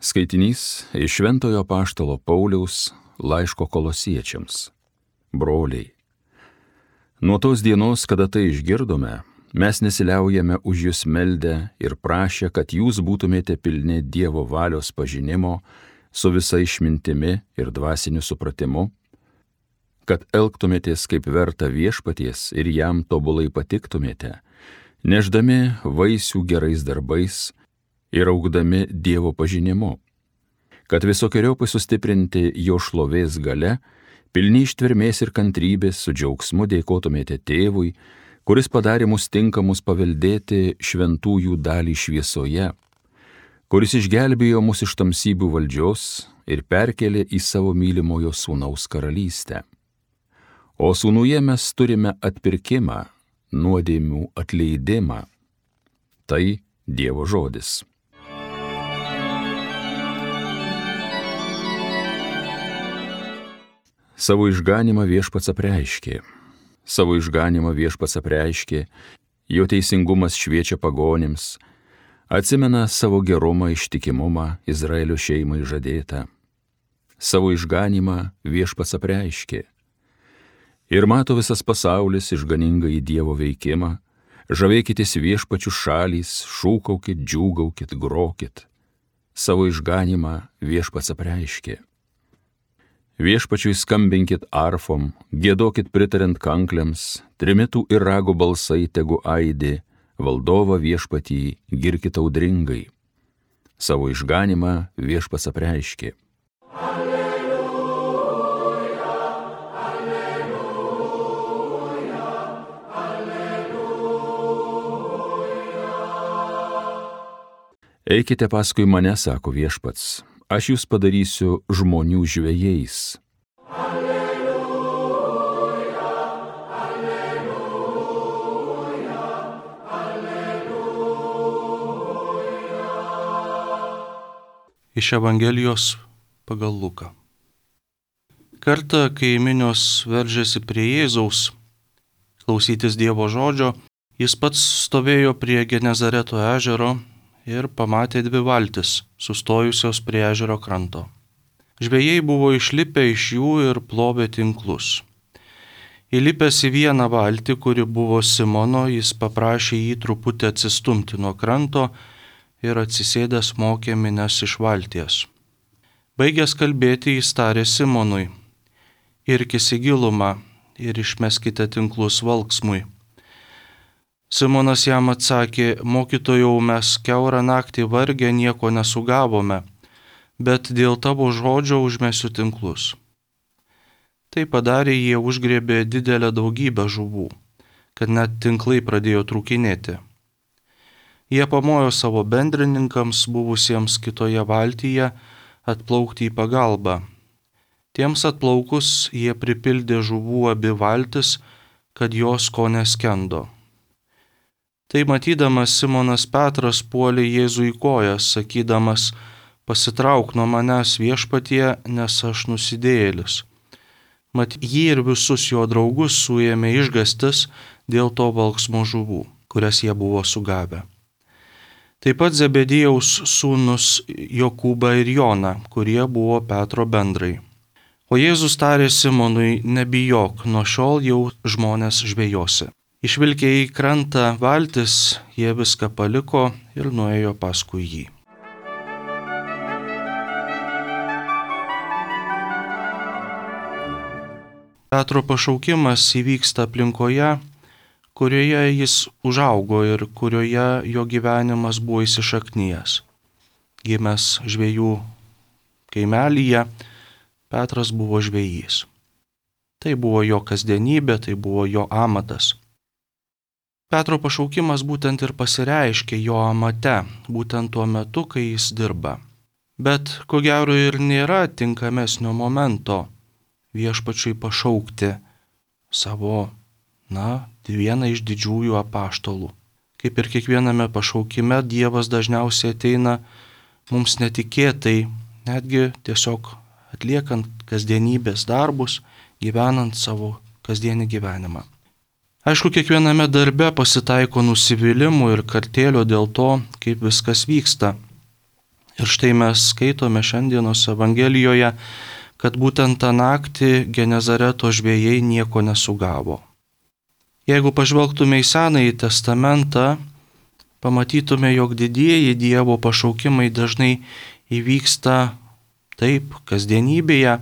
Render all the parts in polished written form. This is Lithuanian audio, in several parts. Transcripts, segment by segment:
Skaitinys iš Šventojo Apaštalo Pauliaus laiško Kolosiečiams. Broliai, nuo tos dienos, kada tai išgirdome, mes nesiliaujame už jūs meldę ir prašę, kad jūs būtumėte pilni Dievo valios pažinimo su visa išmintimi ir dvasiniu supratimu, kad elgtumėtės kaip verta viešpaties ir jam tobulai patiktumėte, nešdami vaisių gerais darbais ir augdami Dievo pažinimu, kad visokiojopai sustiprinti jo šlovės gale, pilni ištvermės ir kantrybės su džiaugsmu dėkotumėte Tėvui, kuris padarė mus tinkamus paveldėti šventųjų dalį šviesoje, kuris išgelbėjo mus iš tamsybių valdžios ir perkėlė į savo mylimojo Sūnaus karalystę. O Sūnuje mes turime atpirkimą, nuodėmių atleidimą. Tai Dievo žodis. Savo išganymą Viešpats apreiškė. Savo išganymą Viešpats apreiškė, jo teisingumas šviečia pagonims, atsimena savo gerumą, ištikimumą Izraelio šeimai žadėtą. Savo išganymą Viešpats apreiškė. Ir mato visas pasaulis išganingą į Dievo veikimą, žavėkitės Viešpačių šalys, šūkaukit, džiūgaukit, grokit. Savo išganymą Viešpats apreiškė. Viešpačiui skambinkit arfom, giedokit pritariant kankliams, trimitų ir rago balsai tegu aidi, valdovą Viešpatį girkit audringai. Savo išganymą Viešpats apreiškė. Alleluja, alleluja, alleluja. Eikite paskui mane, sako Viešpats. Aš jūs padarysiu žmonių žvejais. Alleluja, alleluja, alleluja. Iš Evangelijos pagal Luką. Kartą, kai minios veržėsi prie Jėzaus klausytis Dievo žodžio, jis pats stovėjo prie Genezareto ežero ir pamatė dvi valtis, sustojusios prie ežero kranto. Žvejai buvo išlipę iš jų ir plovė tinklus. Įlipęs į vieną valtį, kuri buvo Simono, jis paprašė jį truputį atsistumti nuo kranto ir atsisėdęs mokė minias iš valties. Baigęs kalbėti, jis tarė Simonui: irkis į gilumą ir išmeskite tinklus valksmui. Simonas jam atsakė: mokytojau, mes kiaurą naktį vargę nieko nesugavome, bet dėl tavo žodžio užmesiu tinklus. Tai padarė, jie užgriebė didelę daugybę žuvų, kad net tinklai pradėjo trūkinėti. Jie pamojo savo bendrininkams, buvusiems kitoje valtyje, atplaukti į pagalbą. Tiems atplaukus jie pripildė žuvų abi valtis, kad jos ko neskendo. Tai matydamas Simonas Petras puolė Jėzui į kojas, sakydamas: pasitrauk nuo manęs, Viešpatie, nes aš nusidėjėlis. Mat jį ir visus jo draugus suėmė išgąstis dėl to valksmo žuvų, kurias jie buvo sugavę. Taip pat Zebediejaus sūnus Jokūbą ir Joną, kurie buvo Petro bendrai. O Jėzus tarė Simonui: nebijok, nuo šiol jau žmonės žvejosi. Išvilkę į krantą valtis, jie viską paliko ir nuėjo paskui jį. Petro pašaukimas įvyksta aplinkoje, kurioje jis užaugo ir kurioje jo gyvenimas buvo įsišaknijęs. Gimęs žvejų kaimelyje, Petras buvo žvejys. Tai buvo jo kasdienybė, tai buvo jo amatas. Petro pašaukimas būtent ir pasireiškia jo amate, būtent tuo metu, kai jis dirba. Bet ko gero ir nėra tinkamesnio momento Viešpačiui pašaukti savo, vieną iš didžiųjų apaštalų. Kaip ir kiekviename pašaukime, Dievas dažniausiai ateina mums netikėtai, netgi tiesiog atliekant kasdienybės darbus, gyvenant savo kasdienį gyvenimą. Aišku, kiekviename darbe pasitaiko nusivylimų ir kartėlio dėl to, kaip viskas vyksta. Ir štai mes skaitome šiandienos Evangelijoje, kad būtent tą naktį Genezareto žvejai nieko nesugavo. Jeigu pažvelgtume į Senąjį testamentą, pamatytume, jog didieji Dievo pašaukimai dažnai įvyksta taip kasdienybėje,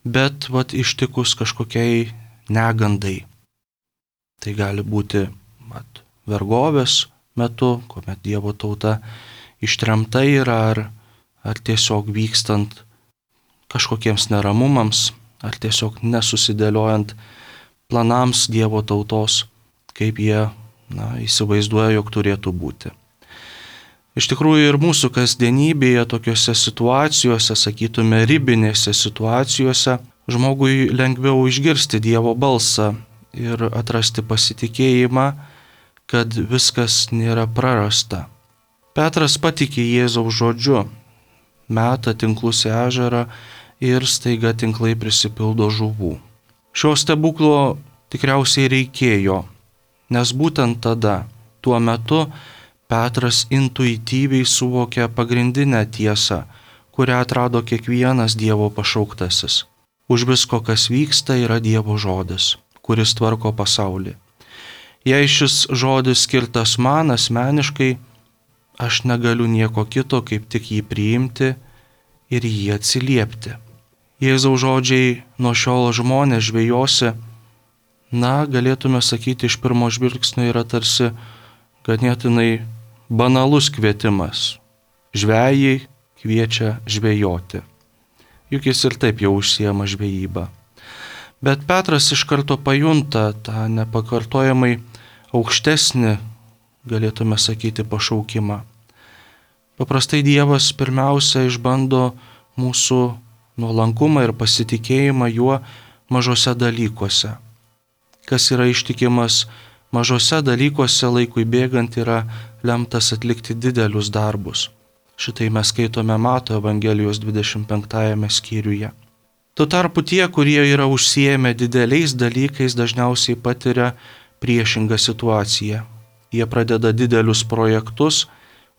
bet ištikus kažkokiai negandai. Tai gali būti vergovės metu, kuomet Dievo tauta ištremta yra, ar tiesiog vykstant kažkokiems neramumams, ar tiesiog nesusidėliojant planams Dievo tautos, kaip jie įsivaizduoja, jog turėtų būti. Iš tikrųjų ir mūsų kasdienybėje tokiuose situacijose, sakytume, ribinėse situacijose, žmogui lengviau išgirsti Dievo balsą ir atrasti pasitikėjimą, kad viskas nėra prarasta. Petras patikė Jėzaus žodžiu, meta tinklus į ežerą ir staiga tinklai prisipildo žuvų. Šio stebuklo tikriausiai reikėjo, nes būtent tada, tuo metu, Petras intuityviai suvokė pagrindinę tiesą, kurią atrado kiekvienas Dievo pašauktasis. Už visko, kas vyksta, yra Dievo žodis, kuris tvarko pasaulį. Jei šis žodis skirtas man asmeniškai, aš negaliu nieko kito, kaip tik jį priimti ir jį atsiliepti. Jėzaus žodžiai nuo šiol žmonės žvejosi, galėtume sakyti, iš pirmo žvilgsnio yra tarsi ganėtinai banalus kvietimas. Žvejai kviečia žvejoti. Juk jis ir taip jau užsiema žvejybą. Bet Petras iš karto pajunta tą nepakartojamai aukštesnį, galėtume sakyti, pašaukimą. Paprastai Dievas pirmiausia išbando mūsų nuolankumą ir pasitikėjimą juo mažose dalykuose. Kas yra ištikimas mažose dalykuose, laikui bėgant yra lemtas atlikti didelius darbus. Šitai mes skaitome Mato Evangelijos 25 skyriuje. Tuo tarpu tie, kurie yra užsiėmę dideliais dalykais, dažniausiai patiria priešingą situaciją. Jie pradeda didelius projektus,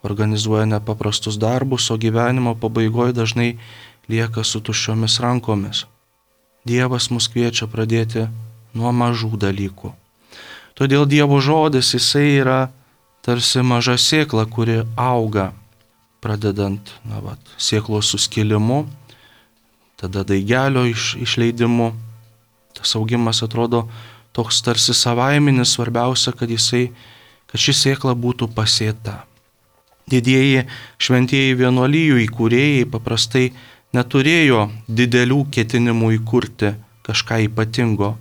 organizuoja nepaprastus darbus, o gyvenimo pabaigoje dažnai lieka su tuščiomis rankomis. Dievas mus kviečia pradėti nuo mažų dalykų. Todėl Dievo žodis, jisai yra tarsi maža sėkla, kuri auga, pradedant sėklos suskilimu, tada daigelio išleidimu. Tas augimas atrodo toks tarsi savaiminis, svarbiausia, kad ši sėkla būtų pasėta. Didieji šventieji vienuolijų įkūrėjai paprastai neturėjo didelių ketinimų įkurti kažką ypatingo.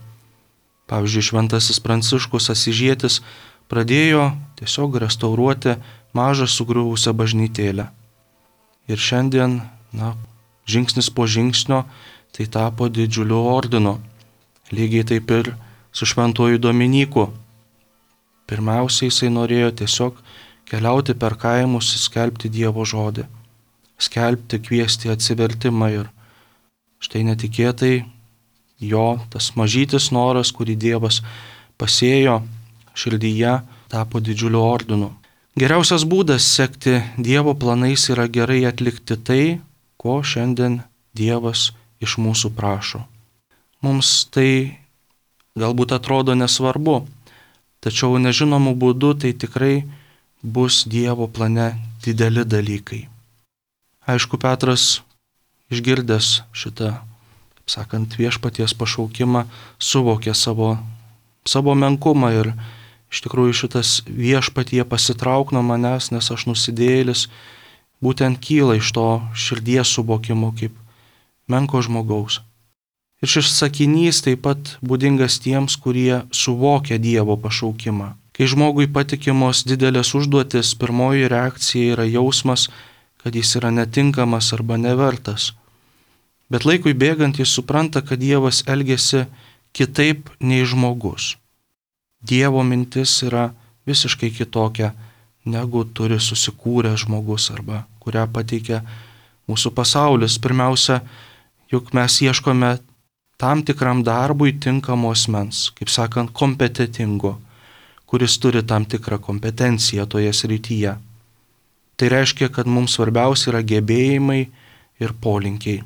Pavyzdžiui, šventasis Pranciškus Asyžietis pradėjo tiesiog restauruoti mažą sugriuvusią bažnytėlę. Ir šiandien, žingsnis po žingsnio, tai tapo didžiuliu ordinu. Lygiai taip ir su šventuoju Dominyku. Pirmiausiai jisai norėjo tiesiog keliauti per kaimus, skelbti Dievo žodį, skelbti, kviesti atsivertimą. Ir štai netikėtai jo tas mažytis noras, kurį Dievas pasėjo širdyje, tapo didžiuliu ordinu. Geriausias būdas sekti Dievo planais yra gerai atlikti tai, ko šiandien Dievas iš mūsų prašo. Mums tai galbūt atrodo nesvarbu, tačiau nežinomų būdų tai tikrai bus Dievo plane dideli dalykai. Aišku, Petras, išgirdęs šitą, kaip sakant, viešpaties pašaukimą, suvokė savo menkumą ir iš tikrųjų šitas viešpatie pasitrauk nuo manęs, nes aš nusidėjėlis, būtent kyla iš to širdies suvokimo kaip menko žmogaus. Ir šis sakinys taip pat būdingas tiems, kurie suvokia Dievo pašaukimą. Kai žmogui patikimos didelės užduotis, pirmoji reakcija yra jausmas, kad jis yra netinkamas arba nevertas. Bet laikui bėgant jis supranta, kad Dievas elgiasi kitaip nei žmogus. Dievo mintis yra visiškai kitokia, negu turi susikūręs žmogus arba kurią pateikia mūsų pasaulis. Pirmiausia, juk mes ieškome tam tikram darbui tinkamo asmens, kaip sakant, kompetentingo, kuris turi tam tikrą kompetenciją toje srityje. Tai reiškia, kad mums svarbiausia yra gebėjimai ir polinkiai.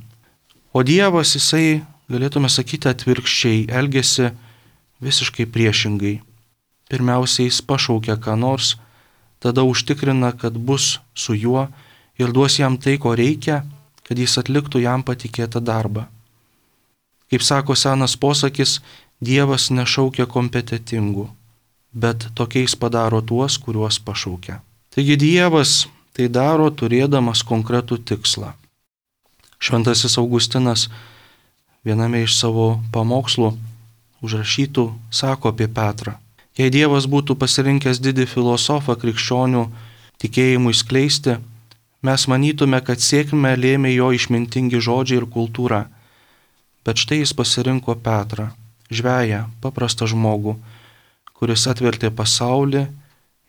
O Dievas, jisai, galėtume sakyti, atvirkščiai elgesi visiškai priešingai. Pirmiausia, jis pašaukia ką nors, tada užtikrina, kad bus su juo ir duos jam tai, ko reikia, kad jis atliktų jam patikėtą darbą. Kaip sako senas posakis, Dievas nešaukia kompetentingų, bet tokiais padaro tuos, kuriuos pašaukia. Taigi Dievas tai daro turėdamas konkretų tikslą. Šventasis Augustinas viename iš savo pamokslų užrašytų sako apie Petrą. Jei Dievas būtų pasirinkęs didį filosofą krikščionių tikėjimui skleisti, mes manytume, kad sėkmę lėmė jo išmintingi žodžiai ir kultūra. Bet štai jis pasirinko Petrą, žveją, paprastą žmogų, kuris atvertė pasaulį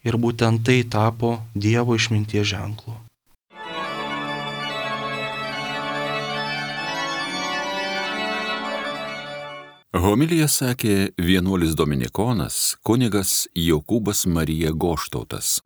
ir būtent tai tapo Dievo išminties ženklu. Homiliją sakė vienuolis dominikonas kunigas Jokūbas Marija Goštautas.